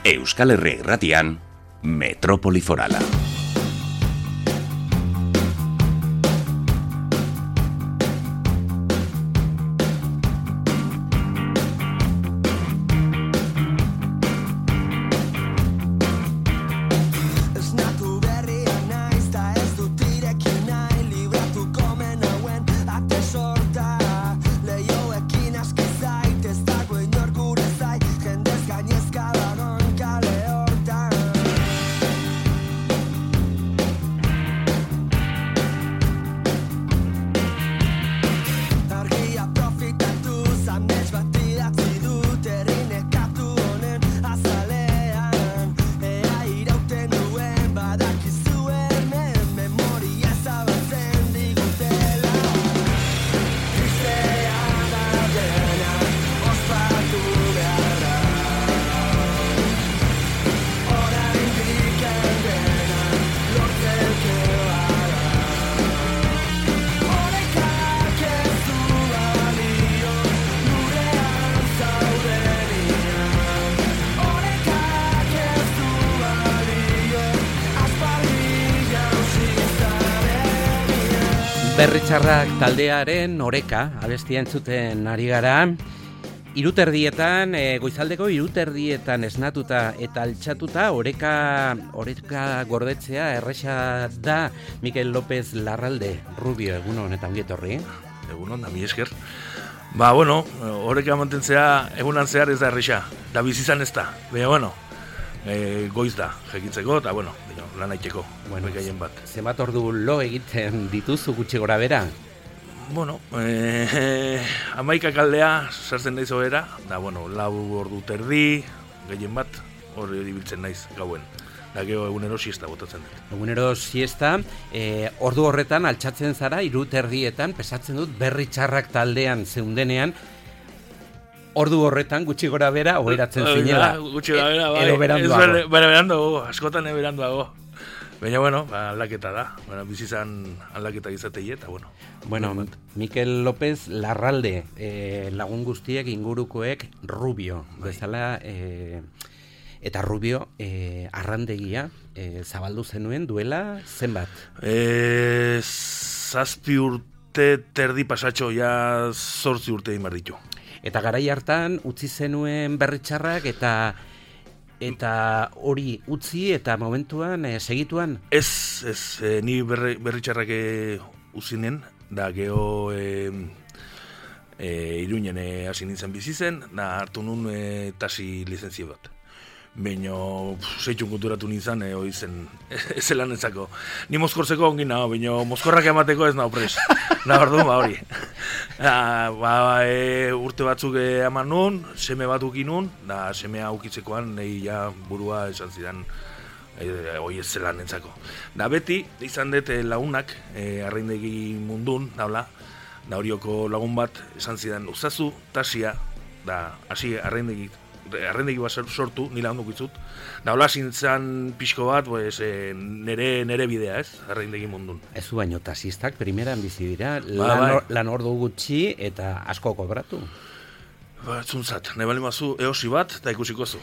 Euskal Herri Irratian, Metropoli Forala. Berritxarrak taldearen oreka abestia entzuten ari gara. Iruterdietan, goizaldeko iruterdietan esnatuta eta altxatuta oreka gordetzea erresa da. Mikel López Larralde, Rubio, egunon eta ongi etorri. Egunon, da mi esker. Oreka mantentzea egunan zehar ez da erresa, da bizizan ez da. Baina, goiz da, jekitzeko, eta, lan aiteko, gaien bat. Zenbat ordu lo egiten dituzu gutxi gora bera? 11 aldea sartzen naiz ohera, da, 4 ordu terdi, gehien bat, hori ibiltzen naiz gauen. Da, gero egunero siesta botatzen dut. Egunero siesta, ordu horretan altxatzen zara, 3:00 pesatzen dut Berritxarrak taldean zeundenean, ordu horretan gutxi gora bera oheratzen zinela. Gutxi gora bera, bai. Edo beranduago. Beranduago, askotan beranduago. Baina, aldaketa da. Bizizan aldaketa izatei eta, Mikel López Larralde, lagun guztiek, ingurukoek, Rubio. Bezala, eta Rubio, arrandegia, zabaldu zenuen duela zenbat? 7 urte terdi pasatxo, ja 8 urte egin behar ditu. Eta garai hartan utzi zenuen Berritxarrak eta hori utzi eta momentuan segituan? Ez, ni Berritxarrak uzinen, da geho Iruinen hasi nintzen bizi zen, da hartu nun tasi lizentzio bat. Baina, zeitxun konturatu nintzen, hori zen, ez zelan ezako. Ni mozkortzeko ongin nago, baina mozkorrak emateko ez nago pres. Hori. Urte batzuk eman nun, seme bat ukin nun, da semea ukitzekoan, nahi ja burua esan zidan, hori ez zelan entzako. Da beti, izan dut lagunak, arraindegi mundun, da horioko lagun bat, esan zidan, uzazu, tasia, da, hasi arraindegi bat sortu, nila onduk itzut. Da hola zintzen pixko bat, nere bidea, ez? Arraindegi mundun. Ez zu baino tasistak primeran bizi dira, lan ordu gutxi eta asko kobratu. Zuntzat, nahi bali mazu eosi bat, eta ikusiko zu.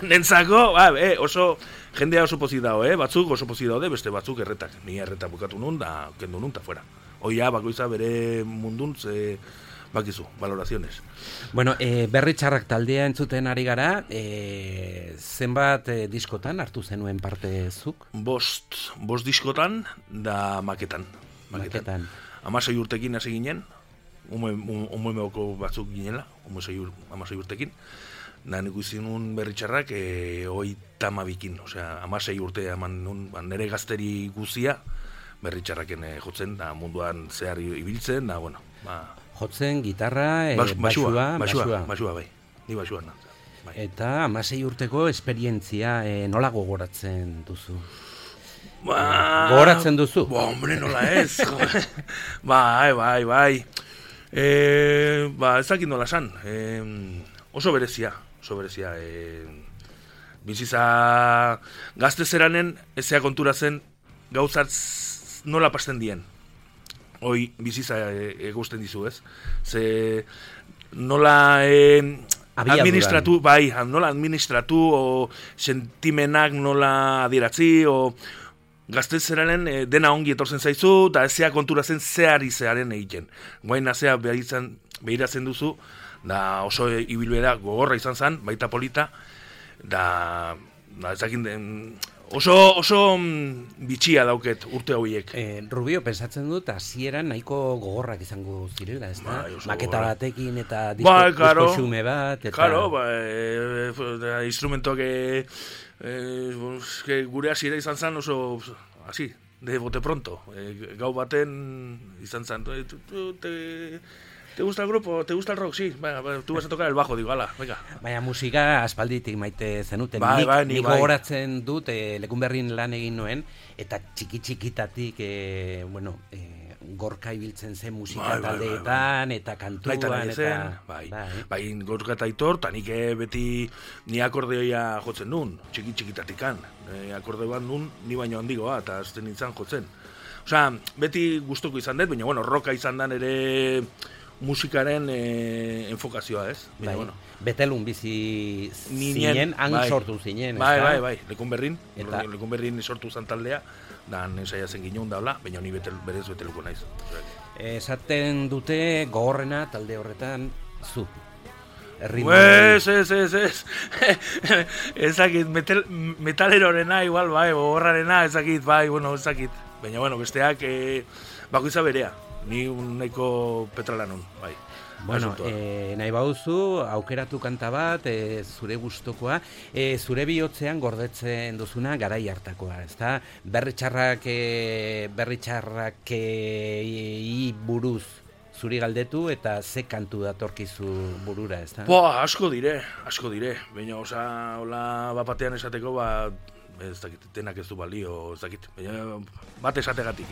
Nentzako, oso, jendea oso pozik dago, batzuk oso pozik daude, beste batzuk erretak. Ni erreta bukatu nun, da kendu nun, eta fuera. Oia, bakoitza bere mundun, bakizu, valoraciones. Berritxarrak taldea entzuten ari gara, zenbat diskotan hartu zenuen parte zuk? 5 diskotan, da maketan. 16 urtekin hasi ginen, umeoko batzuk ginela, 16 urtekin. Da nik izin nun Berritxarrak 32, osea, 16 urte eman nun, nire gazteri guzia, Berritxarraken jotzen, da munduan zehar ibiltzen, da, jotzen, gitarra, basua, bai. Ni basua na. Bai. Eta 16 urteko esperientzia nola gogoratzen duzu? Gogoratzen duzu? Hombre, nola ez. Bai. Ez dakit nola san. Oso berezia. Biziza gazte zeranen, ezea konturatzen gauzat nola pasten dien. Hoi biziza egusten dizu, ez? Ze nola administratu, nola administratu, o sentimenak nola adieratzi, o gaztezeraren dena ongi etortzen zaizu, eta ezea konturatzen zearen egiten. Guain azea behiratzen duzu, da oso ibilbera gogorra izan zen, baita polita, da ezakin oso bitxia dauket urte horiek. Rubio, pensatzen dut, hasieran nahiko gogorrak izango zirela, ez da? Maketa batekin eta disko xume bat. Claro, instrumentoak gure hasiera izan zen oso, hasi, de bote pronto. Gau baten izan zen, ¿te gusta el grupo? ¿Te gusta el rock? Sí, tú vas a tocar el bajo, digo, ala, venga. Baina musika aspalditik maite zenuten. Nik gogoratzen dut, Lekunberrin lan egin nuen, eta txiki-txikitatik, Gorka ibiltzen zen musika taldeetan, eta kantuan, eta... Bai, Gorka eta Aitor, eta nik beti ni akordeoia jotzen nun, txiki-txikitatikan. Akordeoan nun, ni baino handigoa, eta azten nintzen jotzen. Osea, beti gustuko izan dut, baina, roka izan dan ere musikaren enfokazioa, ez? Bai, Betelun bizi zinen, sortu zinen, ez da? Bai, Lekunberrin sortu zan taldea, dan saia zen ginen daula, baina ni berez Beteluko naiz. Esaten dute gogorrena talde horretan zu. Ez. Ezakit, metalerorena igual, gogorrarena, ezakit, ezakit. Baina, besteak bakoitza berea. Ni nahiko petralanun, bai. Nahi bauzu, aukeratu kanta bat, zure gustokoa, zure bihotzean gordetzen duzuna garai hartakoa, ezta? Berritxarrakei buruz zuri galdetu eta ze kantu datorkizu burura, ezta? Asko dire. Baina, hola, batean esateko, ez dakit, denak ez du balio, ez dakit. Baina, bat esategatik,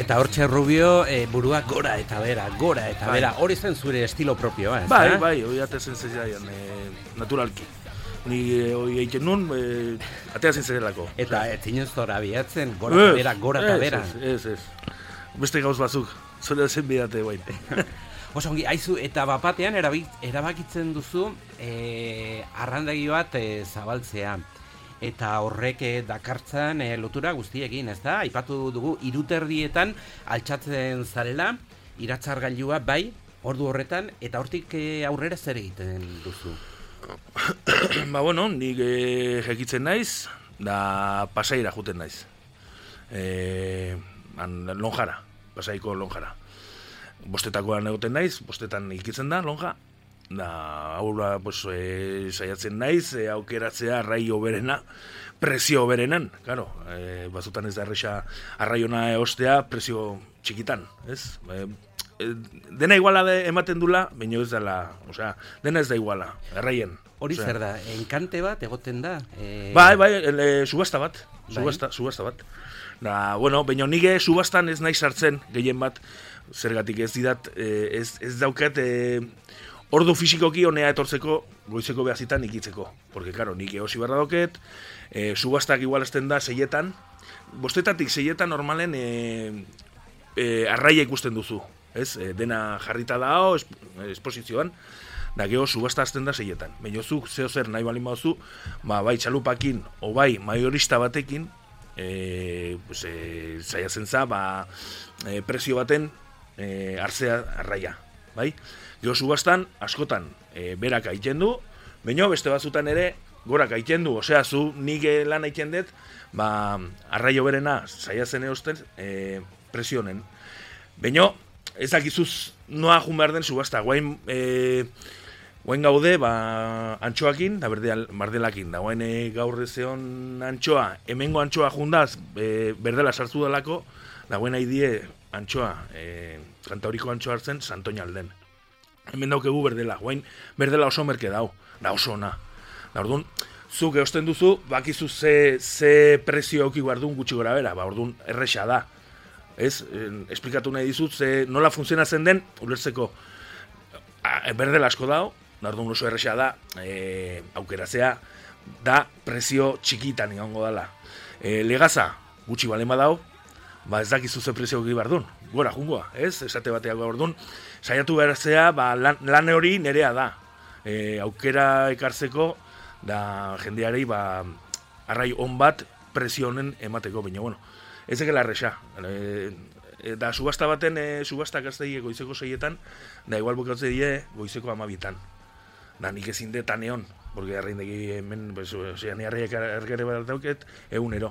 Eta hortxe Rubio, burua gora eta bera, hori zen zure estilo propioa, ez da? Bai, hori atezen zezaian, naturalki. Ni hori egiten nun, ateazen zerelako. Eta etzinen zora bihatzen, gora eta bera. Ez. Beste gauz batzuk, zure zen bidate guain. Oso ongi, haizu, eta bapatean erabakitzen duzu arrandegi bat zabaltzea. Eta horrek dakartzan lotura guztiekin, ez da? Aipatu dugu, iruterdietan altxatzen zarela, iratzargailua bai, ordu horretan, eta hortik aurrera zer egiten duzu? Nik jekitzen naiz, da Pasaira juten naiz. Lonjara, Pasaiko Lonjara. Bostetakoan egoten naiz, bostetan ikitzen da, Lonja. Da, aurra, saiatzen naiz, aukeratzea arraio berena, prezio berenan, claro, bazutan ez da erresa arraiona eostea prezio txikitan, ez? Dena iguala ematen dula, baina ez dela, dena ez da iguala, arraien. Hori zer da, enkante bat egoten da? Subasta bat. Da, baina nire subastan ez nahi sartzen, gehien bat, zergatik ez didat, ez daukat, ordu fisikoki honea etortzeko goizeko behazitan ikitzeko. Porque, claro, nik eosi barra doket, subastak igual esten da 6etan, bostetatik 6etan normalen arraia ikusten duzu. Ez? Dena jarrita da esposizioan, da geho subasta azten da 6etan. Baina zuk zeo zer nahi balin bauzu, bai txalupakin, o bai maiorista batekin, zaiatzen za, prezio baten hartzea arraia. Bai? Gero subastan, askotan, berak aiten du, baina beste batzutan ere, gorak aiten du. Osea, zu nik lan aiten dut, arraio berena, zaiatzen eosten, presionen. Baina, ez dakizuz noa jun behar den subasta. Guain, Oain gaude, antxoakin, da berdelakin. Da oain gaur ezeon antxoa, hemengo antxoa jundaz, berdela sartu dalako, da oain haidie antxoa, Kantauriko antxoa hartzen, Santoña alden. Hemen daukegu berdela, oain berdela oso merke dau, da oso ona. Da orduan, zuk eosten duzu, bakizu ze prezio auki guardun gutxi gora bera, orduan erresa da. Ez, esplikatu nahi dizut, nola funtzionatzen den, ulertzeko berdela asko dau, orduan oso erresa da, aukeratzea, da prezio txikitan egongo dela. Legaza, gutxi balen badau, ez dakizu ze prezio egi bardun, gora jungoa, ez? Esate bateak orduan, saiatu berazea, lan hori nerea da. Aukera ekartzeko, da jendearei, arrai on bat prezio honen emateko, baina, bueno, ez ekela erresa. Da subasta baten, subastak azte goizeko 6etan, da igual bukatze die goizeko 12etan. Da nik ezin detan egon, porque arreindegi hemen, ni arreiak ergere bat dauket, egunero.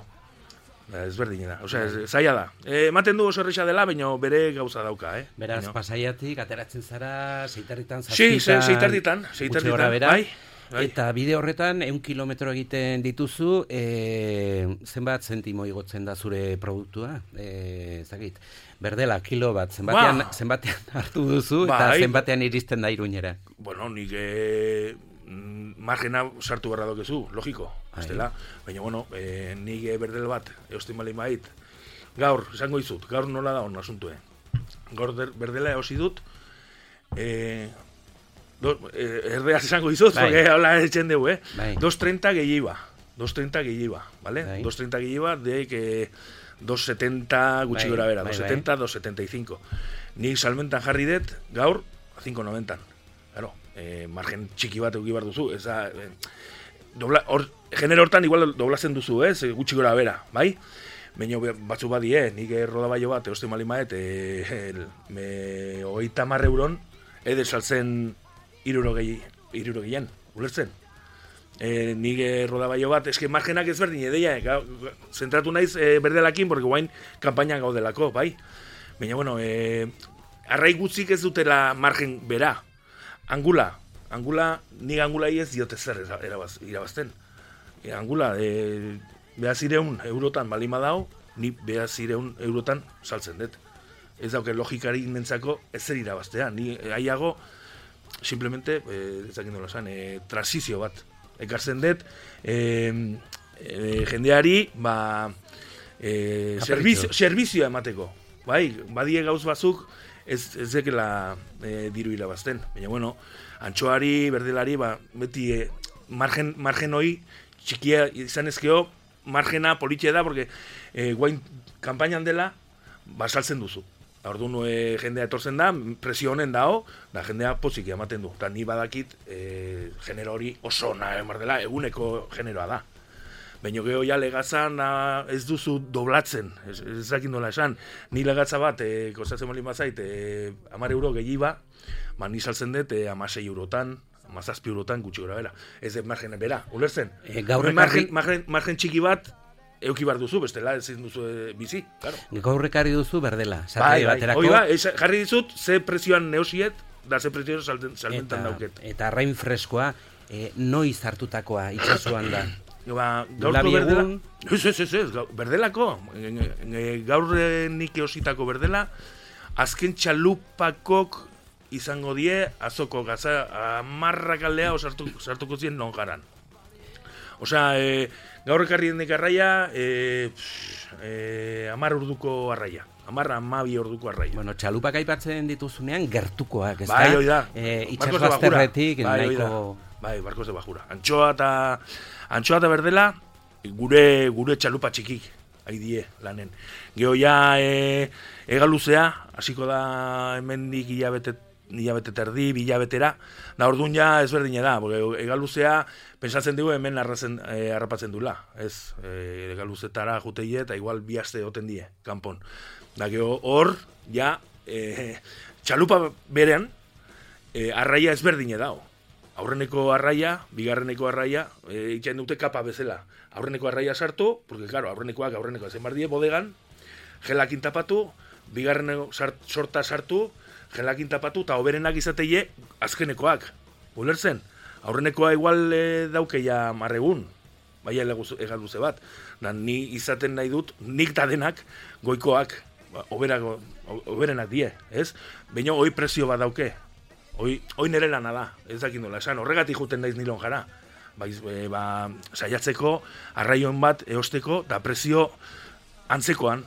Ez berdinera, zaila da. Ematen du oso erresa dela, baina bere gauza dauka, Beraz, Pasaiatik, ateratzen zara, Seitarritan, Si, Seitarritan, bai. Eta bide horretan, 100 kilometro egiten dituzu, zenbat zentimo igotzen da zure produktua? Zakit, berdela, kilo bat, zenbatean hartu duzu, eta zenbatean iristen da Iruñera. Bueno, nik margena sartu barra dokezu, logiko, estela. Baina, bueno, nik berdel bat, eustin bali mait, gaur, esango izut, gaur nola da hon asuntue. Gaur berdela eosi dut, erdeaz esango izut, porque hola etxen dugu, 2.30 gehiiba, ¿vale? 2.30 gehiiba, de 2.70 gutxi gora bera, 2.70, 2.75. Nik salmentan jarri dut, gaur, 5.90. Claro, margen txiki bat euki bar duzu, genero hortan igual doblazen duzu, gutxi gora bera, bai? Baina batzu badie, nik rodabailo bat, eoste malimaet, 30 euron, edo saltzen irurogeian, ulertzen? Nik rodabailo bat, eske margenak ezberdin edeia, zentratu naiz berdelakin, porque guain kampainan gaudelako, bai? Baina, bueno, arrai gutzik ez dutela margen bera. Angula, nik angulai ez diote zer irabazten. Angula, behazireun eurotan balima dao, ni behazireun eurotan saltzen dut. Ez dauke logikari nentzako ez zer irabaztea. Ni aiago, simplemente, ezakin dola zan, transizio bat. Ekartzen dut, jendeari, servizioa emateko. Bai, badie gauz bazuk, ez dekela diru irabazten. Baina, bueno, antxoari, berdelari, beti margen hoi txikia izan ezkeo, margena politxe da, porque guain kampainan dela, saltzen duzu. Orduan jendea etortzen da, presio honen dao, da jendea pozik ematen du. Eta ni badakit genero hori oso dela, eguneko generoa da. Baina geho ja legazan ez duzu doblatzen, ez dakin dola esan. Ni legatza bat, kostatzen molin bazait, 10 euro gehiago, ni saltzen dut 16 eurotan, 17 eurotan gutxi gora bera. Ez dut margen bera, ulertzen? Margen txiki bat, euki bar duzu, bestela ezin duzu bizi, claro. Gaur ekarri duzu berdela, bai, baterako. Jarri dizut, ze prezioan neosiet, da ze prezioan salmentan dauket. Eta arrain freskoa, noiz hartutakoa itxasuan da? Gaurko berdela, ez, berdelako, gaur nik eositako berdela, azken txalupakok izango die, azoko gaza, amarrakaldea sartuko zien non garan. Osea, gaur ekarri denek arraia, 10 orduko arraia. 10-12 orduko arraia. Bueno, txalupak aipatzen dituzunean gertukoak, ez da? Bai, hoi da. Itxasbazterretik, nahiko... Bai, barkos de bajura. Antxoa eta berdela, gure txalupa txikik, haidie lanen. Geho ja, egaluzea, hasiko da hemendik hilabete terdi, bilabetera, da orduan ja ezberdine da, egaluzea, pensatzen dugu hemen harrapatzen dula, ez, egaluzetara juteie eta igual bi aste oten die, kanpon. Da geho hor, ja, txalupa berean, arraia ezberdine dao. Aurreneko arraia, bigarreneko arraia, itxain dute kapa bezala. Aurreneko arraia sartu, porque claro, aurrenekoak zenbardie bodegan, gelakin tapatu, bigarreneko sorta sartu, gelakin tapatu, eta oberenak izateie azkenekoak. Ulertzen? Aurrenekoa igual daukeia marregun, bai egaluze bat. Da, ni izaten nahi dut, nik da denak goikoak, oberenak die, ez? Baina hoi prezio bat dauke. Hoi nire lana da, ez dakit nola esan, horregatik juten naiz nilon jara. Saiatzeko, arraion bat eosteko, da prezio antzekoan.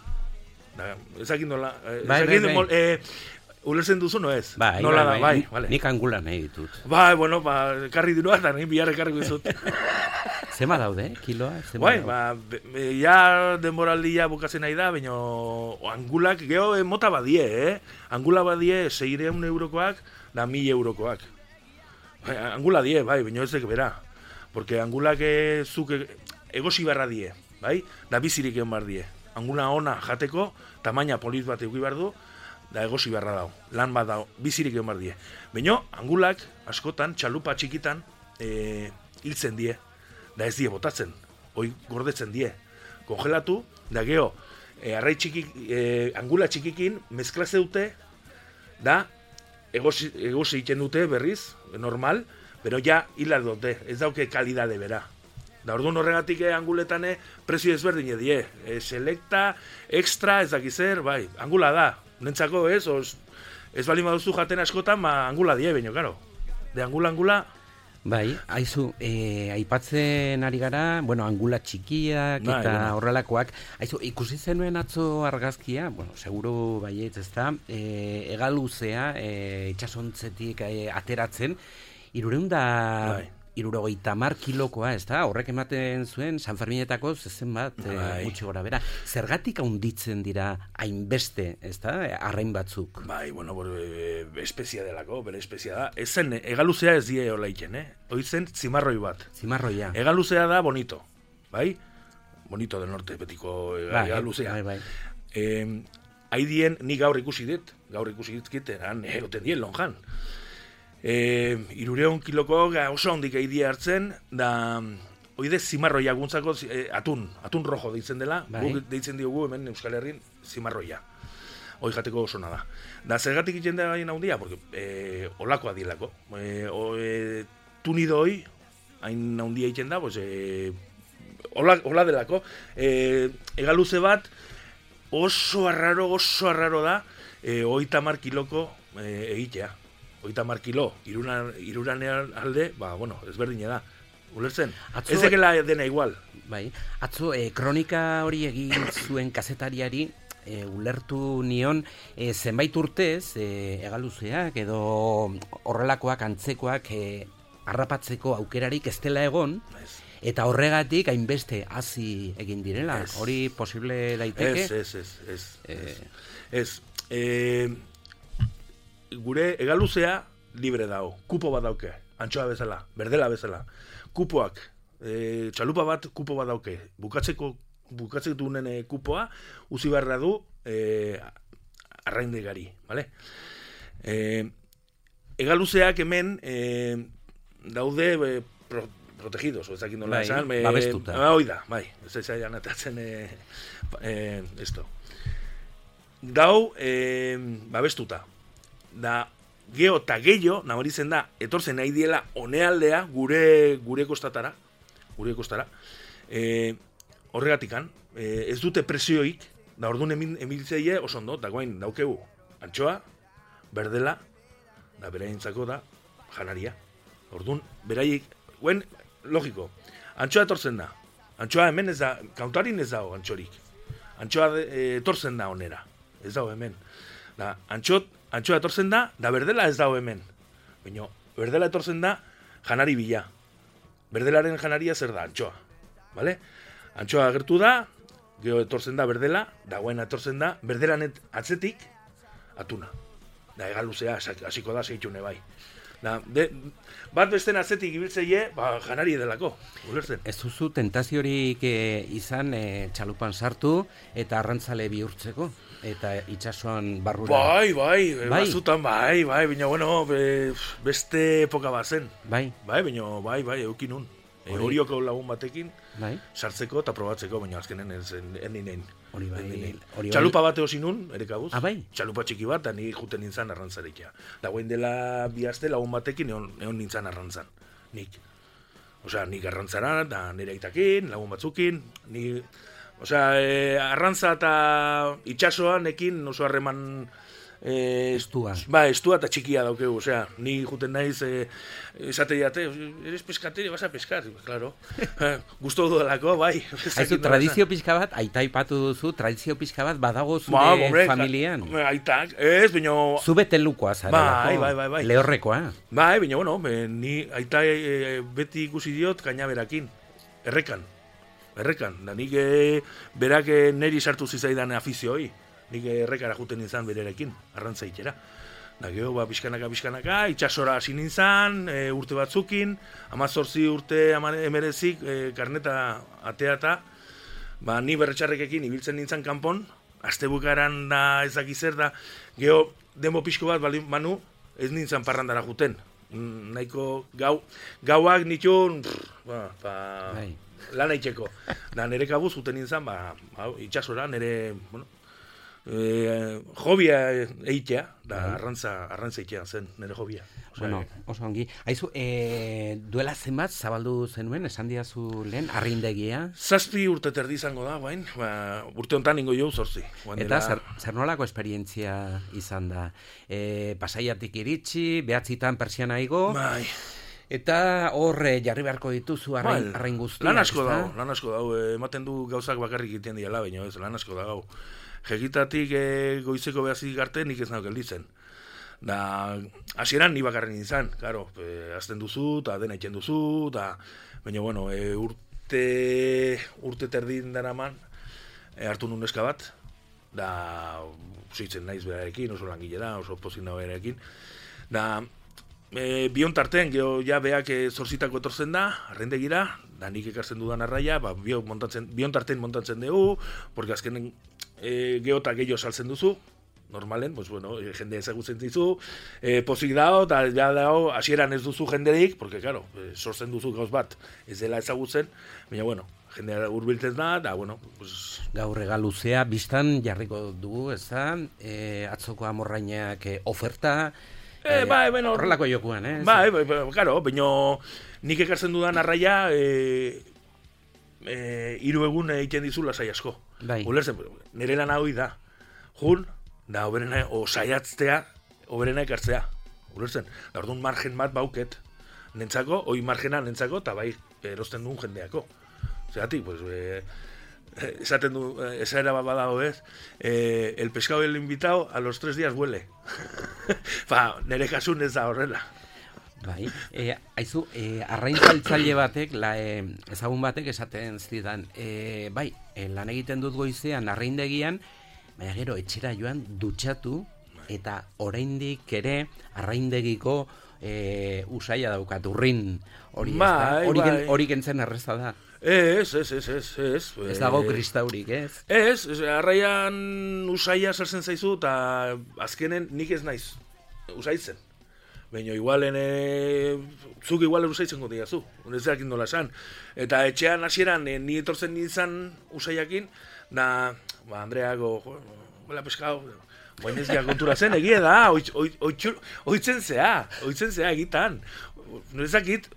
Ez dakit nola, ulertzen duzu, no ez? Nola da, vale. Nik angula nahi ditut. Bueno, karri dirua, eta nik bihar ekarri guzut. Zema daude, kiloa? Ja denboraldia bukatzen nahi da, baina angulak, geho mota badie, Angula badie 600 eurokoak, da 1000 eurokoak. Angula die, baina ez dek bera. Porque angulak zuk egosi barra die, bai? Da bizirik egon bar die. Angula ona jateko, tamaina polit bat euki behar du, da egosi beharra dau, lan bat dau, bizirik egon bar die. Baina, angulak, askotan, txalupa txikitan, hiltzen die, da ez die botatzen, hoi gordetzen die. Kongelatu, da geho, arrai txikik, angula txikikin, mezklaze dute, da, egosi egiten dute berriz, normal, pero ja hilar dute, ez dauke kalidade bera. Da orduan horregatik anguletan prezio ezberdin edie. Selecta, extra, ez dakizer, bai, angula da. Nentzako ez bali maduzu jaten askotan, angula die, baino, karo. De angula. Bai, haizu, aipatzen ari gara, angula txikiak eta horrelakoak. Haizu, ikusi zenuen atzo argazkia, seguru baietz ez da, egaluzea, itxasontzetik ateratzen, 350 kilokoa, ez da? Horrek ematen zuen San Ferminetako zezen bat gutxi gora bera. Zergatik haunditzen dira hainbeste, ez da? Arrain batzuk. Espezia delako, bere espezia da. Ezen, egaluzea ez die hola iken, Oizen, zimarroi bat. Zimarroia. Egaluzea da bonito, bai? Bonito del norte, betiko egaluzea. Bai. Haidien, ni gaur ikusi dit kiteran, egoten dien lonjan. 300 kiloko oso hondik eidie hartzen, da oide zimarroia guntzako atun rojo deitzen dela, guk deitzen diogu hemen Euskal Herrin zimarroia. Hoi jateko oso da. Da zergatik egiten da gaien handia, porque olakoa dielako. Tunido hoi, hain handia egiten da, hola delako. Egaluze bat oso arraro da, 30 kiloko egitea. 30 kilo, iruranean alde, ezberdine da. Ulertzen? Ez dekela dena igual. Bai, atzo, kronika hori egin zuen kazetariari, ulertu nion, zenbait urtez, egaluzeak edo horrelakoak antzekoak harrapatzeko aukerarik ez dela egon, eta horregatik hainbeste hazi egin direla. Hori posible daiteke? Ez. Gure egaluzea libre dago, kupo bat dauke, antxoa bezala, berdela bezala. Kupoak, txalupa bat kupo bat dauke, bukatzeko dunen kupoa, uzi beharra du arraindegari, bale? Egaluzeak hemen daude protegidos, ez dakit nola esan. Babestuta. Oida, bai, ez zailan atatzen esto. Dau, babestuta. Da, geho eta gehiago, nabaritzen da, etortzen nahi diela onealdea gure kostara. Horregatikan, ez dute presioik, da orduan emiltzeie oso ondo, da guain daukegu antxoa, berdela, da beraintzako da janaria. Orduan, beraiek, guen, logiko, antxoa etortzen da. Antxoa hemen ez da, kauntarin ez dago antxorik. Antxoa etortzen da onera, ez dago hemen. Da, antxoa etortzen da berdela ez dago hemen. Baina, berdela etortzen da janari bila. Berdelaren janaria zer da, antxoa. Vale? Antxoa agertu da, gero etortzen da berdela, dagoen etortzen da, berdelan atzetik, atuna. Da, egaluzea, hasiko da, zeitxune bai. Da, bat besten atzetik ibiltzeie, janari delako, ulertzen. Ez duzu tentaziorik izan txalupan sartu eta arrantzale bihurtzeko? Eta itxasuan barrura. Bai, bazutan, baina, beste epoka bat zen. Bai, baina, eukin nun. Orioko lagun batekin, Bai. sartzeko eta probatzeko, baina azkenen ez eninein. Hori bai. Txalupa bat eosin nun, erekabuz. Ah, bai? Txalupa txiki bat, eta ni juten nintzen arrantzarekia. Da guain dela bi aste lagun batekin egon nintzen arrantzan. Nik. Osea, nik arrantzara, da nire aitakin, lagun batzukin, arrantza eta itxasoan ekin oso harreman Estua. Estua eta txikia daukegu, osea, ni juten naiz esate diate, eres pescatero, vas a pescar, claro. Gusto dudalako, bai. Haizu, tradizio pixka bat, aita ipatu duzu, tradizio pixka bat badago zure familian. Aitak, ez, baina... Zu betelukoa zarelako. Bai. Lehorrekoa. Bai, baina, bueno, ni aita beti ikusi diot kainaberakin, errekan, da nik berak neri sartu zizaidan afizioi. Nik errekara juten nintzen bererekin, arrantza itxera. Da geho, pixkanaka, itxasora hasi nintzen, urte batzukin, 18 urte emerezik, karneta ateata, ni berretxarrekekin ibiltzen nintzen kanpon, astebukaran da ezak izer da, geho, denbo pixko bat banu, ez nintzen parrandara juten. Nahiko gauak nitun, lan aitzeko. Da nire kabuz juten nintzen, itxasora, nire, jobia eitea, da arrantza eitea zen, nire jobia. Bueno, oso ongi. Haizu, duela zenbat zabaldu zenuen, esan diazu lehen, arrindegia? 7 urte terdi izango da, bain, urte honetan ingo jau 8. Eta zer nolako esperientzia izan da? Pasaiatik iritsi, behatzitan persiana igo, eta hor jarri beharko dituzu arrain guztiak. Lan asko dau, ematen du gauzak bakarrik iten diala, baina ez, lan asko da gau. Jekitatik goizeko behazik arte nik ez nauk gelditzen. Da, hasieran ni bakarren izan, claro, azten duzu, eta dena itxen duzu, baina, bueno, urte terdin daraman, hartu nun neska bat, da, zitzen naiz berarekin, oso langile da, oso pozin da berarekin, da, bion tarten, geho, ja, beak zorzitako etortzen da, arrendegira, da, nik ekartzen dudan arraia, bion tarten montatzen dugu, porque azkenen geota gehiago saltzen duzu, normalen, pues bueno, jende ezagutzen dizu, pozik dao, eta ja dao, hasieran ez duzu jenderik, porque, claro, sortzen duzu gauz bat, ez dela ezagutzen, baina, bueno, jendea hurbiltzen da, eta, bueno, pues... Gaur egaluzea, biztan jarriko dugu, ez da, atzoko amorrainak oferta, horrelako jokuan, eh? Bai, claro, baina nik ekartzen dudan arraia, 3 egun egiten dizu lasai asko. Bai. Ulertzen, nire lan hau da. Jun, da oberena, saiatztea, oberena ekartzea. Ulertzen, da orduan margen bat bauket. Nentzako, margena nentzako, eta bai, erosten duen jendeako. Zeratik, pues, esaten du, esaera bat badago ez, el pescado el invitado a los 3 días huele. Nire kasun ez da horrela. Bai, haizu, arraintzaltzaile batek, ezagun batek esaten zidan, bai, lan egiten dut goizean arraindegian, baina gero etxera joan dutxatu, eta oraindik ere arraindegiko usaia daukat, urrin hori, hori gentzen erreza da. Ez. Ez dago kristaurik, ez? Ez, arraian usaia sartzen zaizu, eta azkenen nik ez naiz usaitzen. Baina igualen, zuk igualen usaitzen gondi zu, ez dakin nola esan. Eta etxean hasieran ni etortzen nintzen usaiakin, da, Andreago, huela pescado, baina ez kontura zen, egia da, oitzen zea egitan. Ezakit,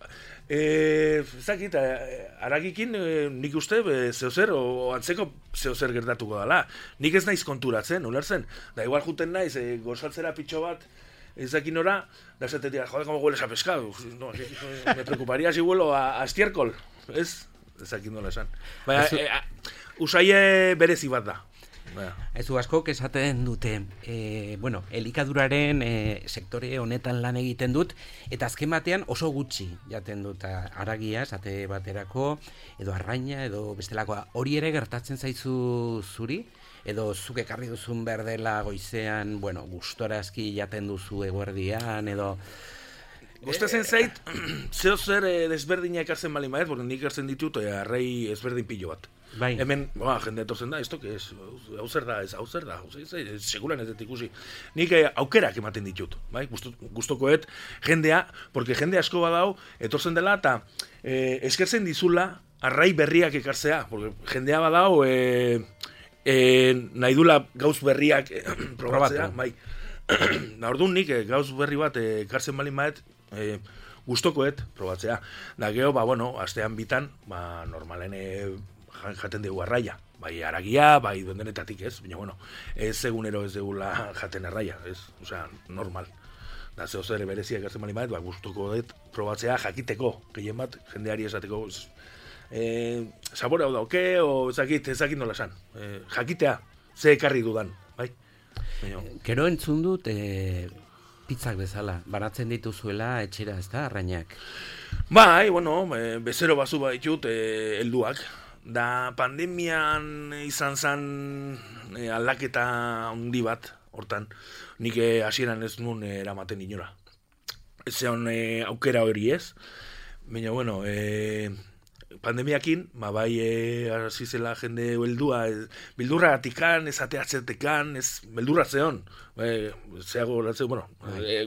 haragikin nik uste zeozer, o antzeko zeozer gertatuko dela. Nik ez naiz konturatzen, ulertzen. Da igual juten naiz, gozaltzera pitxo bat, ezakin ora, da esatetia, joder, como hueles a pescado. No, me preocuparía si huelo a estiércol. Ezakin nola esan. Baina, usaie berezi bat da. Ezu askok esaten dute, bueno, elikaduraren sektore honetan lan egiten dut, eta azken batean oso gutxi jaten dut haragia, esate baterako, edo arraina, edo bestelakoa. Hori ere gertatzen zaizu zuri? Edo zuk ekarri duzun berdela goizean, bueno, gustorazki jaten duzu eguerdian, edo... Gustatzen zait, zeo zer desberdina ekartzen bali maez, porque nik ekartzen ditut arrei ezberdin pilo bat. Bai. Hemen, jende etortzen da, esto que es, hau zer da, seguran ez dut ikusi. Nik aukerak ematen ditut, bai? Gustokoet jendea, porque jende asko badau, etortzen dela, eta eskertzen dizula, arrai berriak ekartzea, porque jendea badau, nahi dula gauz berriak probatzea, bai. Orduan nik gauz berri bat ekartzen balin maet, gustokoet probatzea. Da geho, astean bitan, normalen jaten dugu arraia. Bai aragia, bai duendenetatik ez, baina ez egunero ez dugula jaten arraia, ez, osea, normal. Da zeo zer bereziak ekartzen balin maet, gustokoet probatzea jakiteko, gehien bat, jendeari esateko, sabore hau dauke, o ezakit nola esan. Jakitea, ze ekarri dudan, bai? Gero entzun dut, pizzak bezala, banatzen dituzuela etxera, ez da, arrainak? Bai, bezero bazu baitut helduak. Da pandemian izan zen aldaketa handi bat, hortan, nik hasieran ez nun eramaten inora. Ez zeon aukera hori ez, baina, pandemiakin, bai hasi zela jende heldua, beldurra atikan, ez ateatzetekan, ez beldurra zeon, zeago latzeu,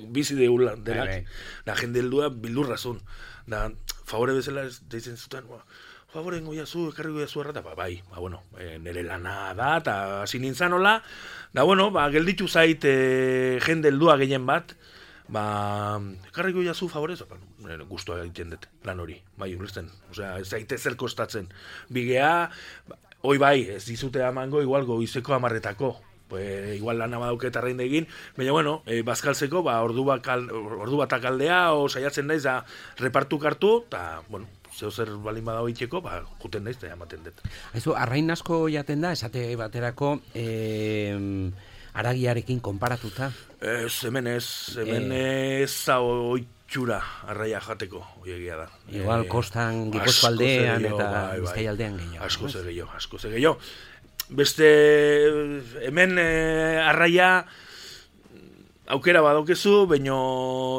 bizi deula denak, da jende heldua beldurra zuen, da favore bezala ez deitzen zuten, favore goiazu, ekarri goiazu errata, nire lana da, eta hasi nintzen hola, da gelditu zait jende heldua gehien bat, ekarri goiazu favorez, guztua egiten dut lan hori, bai, ulertzen, osea, ez zaite zer kostatzen, bigea, hoi bai, ez dizute amango, igual goizeko 10:00, igual lana badauket arrain egin, baina, bazkaltzeko, ordu batak aldea, o saiatzen naiz, da, repartu kartu, eta, zeo zer balin badago itxeko, juten naiz, eta ematen dut. Aizu, arrain asko jaten da, esate baterako, aragiarekin konparatuta? Hemen ez da oitxura arraia jateko, oiegia da. Igual kostan Gipuzko aldean eta Bizkai aldean gehiago. Asko ze gehiago. Beste, hemen arraia aukera badaukezu, baina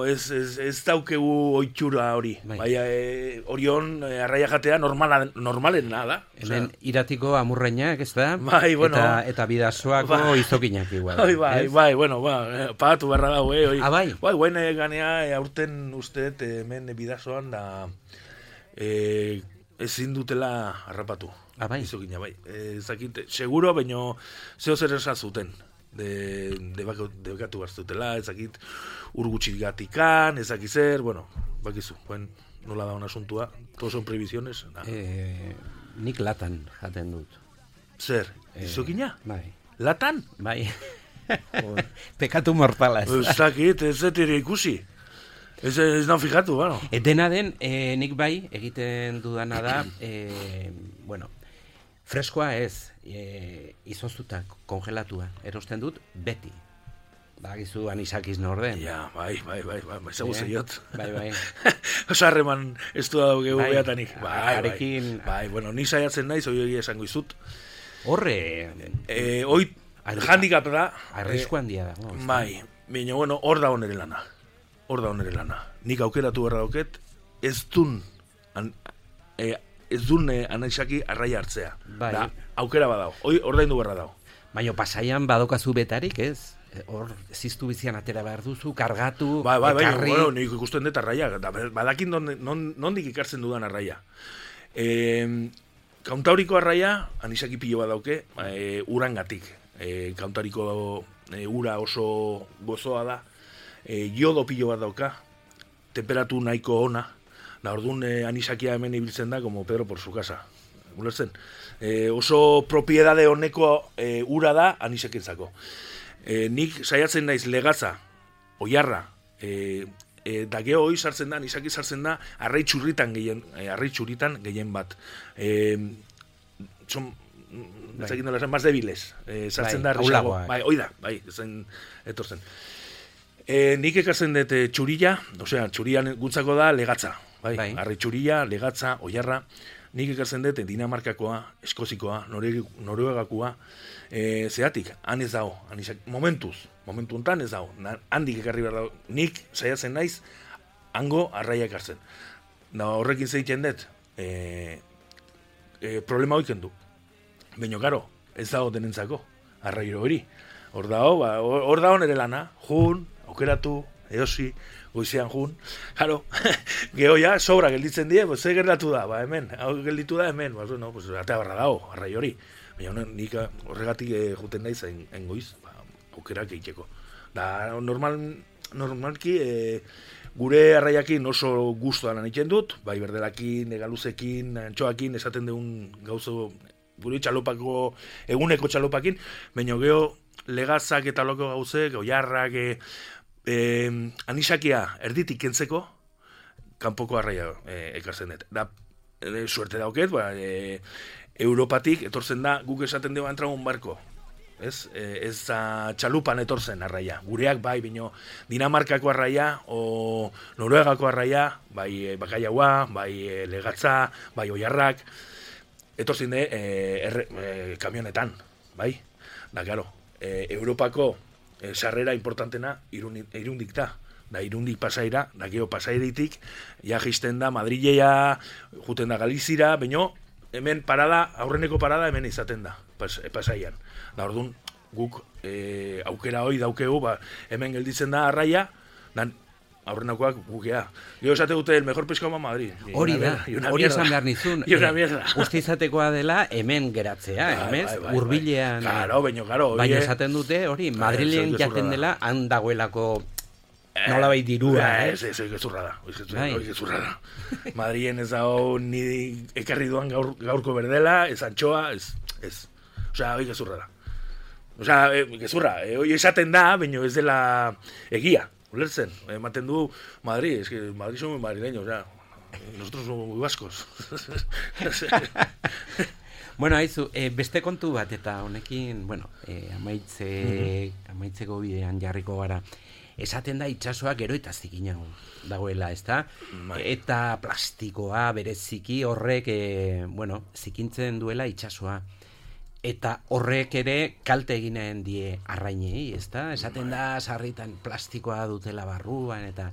ez daukegu oitxura hori. Orion arraia jatea normalen da. Hemen iratiko amurrainak, ez da? Eta bidasoako izokinak igual. Pagatu berra dago, bai? Guen ganea aurten usteet hemen bidasoan da ezin dutela harrapatu. Bai? Izokina, bai. Ezakit, seguro, baina zeo zer esan zuten. Debekatu barzutela, ezakit urgutxik gatikan, ezakit zer, bakizu, nola da un asuntua, todos son previsiones. Nik latan jaten dut. Zer, izokina? Bai. Latan? Bai. Pekatu mortala ez. Ezakit, ez zetire ikusi. Ez da fijatu, Dena den, nik bai, egiten dudana da, freskoa ez, izoztuta, kongelatua, erosten dut, beti. Bagizu anisakiz norden. Ja, bai, ezagu zeiot. Bai. Osarreman ez du daugegu behatanik. Bai, ni saiatzen naiz, hori egia esango izut. Horre... Hoi, handikap da. Arrisku handia da. Bai, baina, hor da onere lana. Nik aukeratu berra dauket, ez dun anaisaki arraia hartzea. Bai. Aukera badao, ordaindu berra dao. Baina pasaian badokazu betarik, ez? Hor, ziztu bizian atera behar duzu, kargatu, ekarri... Nik ikusten dut arraia, badakin nondik ikartzen dudan arraia. Kauntauriko arraia, anisaki pilo bat dauke, urangatik. Kauntauriko ura oso gozoa da, jodo pilo bat dauka, temperatu nahiko ona, da orduan anisakia hemen ibiltzen da, como Pedro por su casa. Ulertzen? Oso propiedade honeko ura da anisakentzako. Nik saiatzen naiz legatza, oiarra, da geho hoi sartzen da, anisaki sartzen da, arrai txurritan gehien bat. Son, ezakin dola esan, más debiles. Sartzen da, bai, ezain etortzen. Nik ekartzen dut txurilla, txurian guntzako da legatza. Arrai txurilla, legatza, oiarra. Nik ekartzen dut Dinamarkakoa, Eskozikoa, Noruegakoa, zeatik, han ez dago, momentu hontan ez dago, handik ekarri behar dago, nik saiatzen naiz, hango arraia ekartzen. Da horrekin zeiten dut, problema hoiken du. Baina, karo, ez dago denentzako, arrairo hori. Hor dago nere lana, jun, aukeratu, eosi, goizean jun. Karo, geho ja, sobra gelditzen die, pues, ze gertatu da, hemen, hau gelditu da hemen, no, pues, atea barra dago, arraio hori. Baina nik horregatik juten naiz engoiz, aukerak egiteko. Da, normalki, gure arraiakin oso gustuan egiten dut, bai berdelakin, egaluzekin, antxoakin, esaten deun gauzo, gure txalopako, eguneko txalopakin, baina geho legazak eta loko gauzek, oiarrak, anisakia erditik kentzeko, kanpoko arraia ekartzen dut. Da, suerte dauket, Europatik etortzen da, guk esaten dugu entragun barko. Ez txalupan etortzen arraia. Gureak bai, bino Dinamarkako arraia o Noruegako arraia, bai bakaiaua, bai legatza, bai oiarrak, etortzen de kamionetan, bai? Da, claro, Europako sarrera importantena Irundik da. Da, Irundik pasaira, da, geho pasairitik, ja jisten da Madrilea, juten da Galizira, baino, hemen parada, aurreneko parada hemen izaten da, pasaian. Da, orduan, guk aukera hori daukegu, hemen gelditzen da arraia, dan aurrenakoak gukea. Gero esate dute, el mejor pescado Madrid. Hori da, hori esan behar nizun. Uste izatekoa dela hemen geratzea, emez, hurbilean. Claro, baina esaten dute, hori, Madrilen jaten dela, han dagoelako nola bai dirua, Ez, gezurra da. Madrien ez dago ni ekarri duan gaurko berdela, ez antxoa, ez. Osea, hori gezurra da. Osea, gezurra, hori esaten da, baina ez dela egia, ulertzen. Ematen du Madrid, Madrid somos madrileños, ya. Nosotros somos muy vascos. Bueno, haizu, beste kontu bat, eta honekin, bueno, amaitzeko bidean jarriko gara. Esaten da itsasoa gero eta zikinago dagoela, ezta? Eta plastikoa bereziki horrek, zikintzen duela itsasoa. Eta horrek ere kalte eginen die arrainei, ezta? Esaten da sarritan plastikoa dutela barruan, eta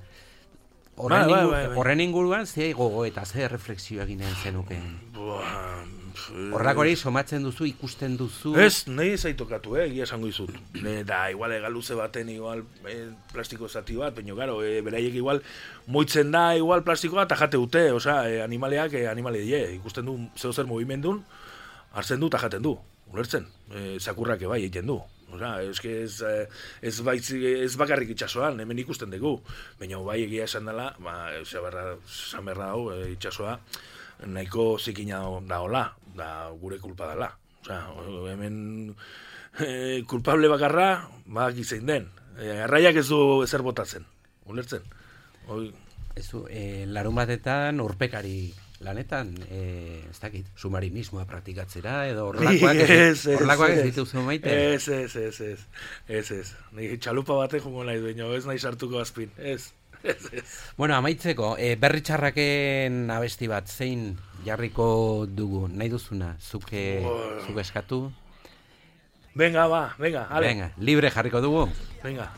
horren inguruan ze gogo eta ze refleksio eginen zenukeen. Horrak hori somatzen duzu, ikusten duzu. Ez, nahi ez aitokatu, egia esango izut. Da, igual egaluze baten, igual plastiko zati bat, baina, garo, beraiek igual moitzen da, igual plastikoa, eta jate dute, animaleak, animale die, ikusten du, zeo zer movimendun, hartzen du, eta jaten du, ulertzen, zakurrak ebai egiten du. Ez bakarrik itxasoan, hemen ikusten dugu, baina bai egia esan dela, esan berra hau, itxasoa, nahiko zikina daola, da gure kulpa dela. Hemen kulpable bakarra, gizein den. Arraiak ez du ezer botatzen, ulertzen. Larun batetan urpekari lanetan, ez dakit, submarinismoa praktikatzera, edo horrelakoak ez dituzu maite? Ez. Ni txalupa batek jongo nahi dueno, ez nahi sartuko azpin, ez. Bueno, amaitzeko, berri txarraken abesti bat, zein jarriko dugu, nahi duzuna, zuk eskatu? Venga, ale. Venga, libre jarriko dugu? Venga.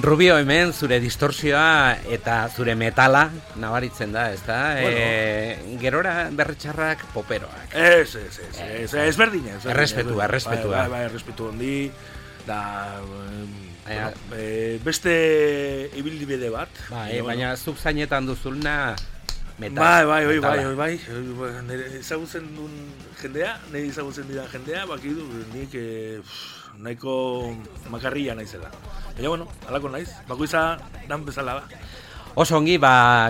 Rubio, hemen zure distorsioa eta zure metala nabaritzen da, ezta? Gerora berritxarrak poperoak. Ez berdina. Errespetua. Errespetu hondi, da... beste ibildibide bat. Baina zuk zainetan duzulna metal. Bai. Ezagutzen duen jendea, nahi ezagutzen dira jendea, bakidu, nik nahiko makarria naizela. Baina, alako naiz, bakoitza dan bezala da. Oso ongi,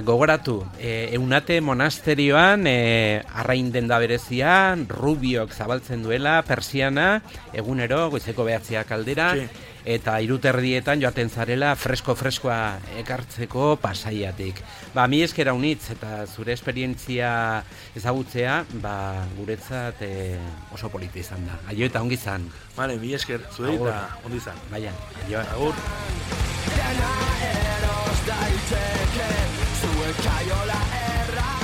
gogoratu, Eunate monasterioan, arrain denda berezian, Rubiok zabaltzen duela, persiana, egunero, goizeko 9 aldera, eta 3:30 joaten zarela freskoa ekartzeko Pasaiatik. Mi esker haunitz eta zure esperientzia ezagutzea, guretzat oso polita izan da. Aio eta ongi izan. Vale, mi esker, zuei eta ongi izan. Baina, aio. Agur. Dena eros daiteke, zuen kaiola erra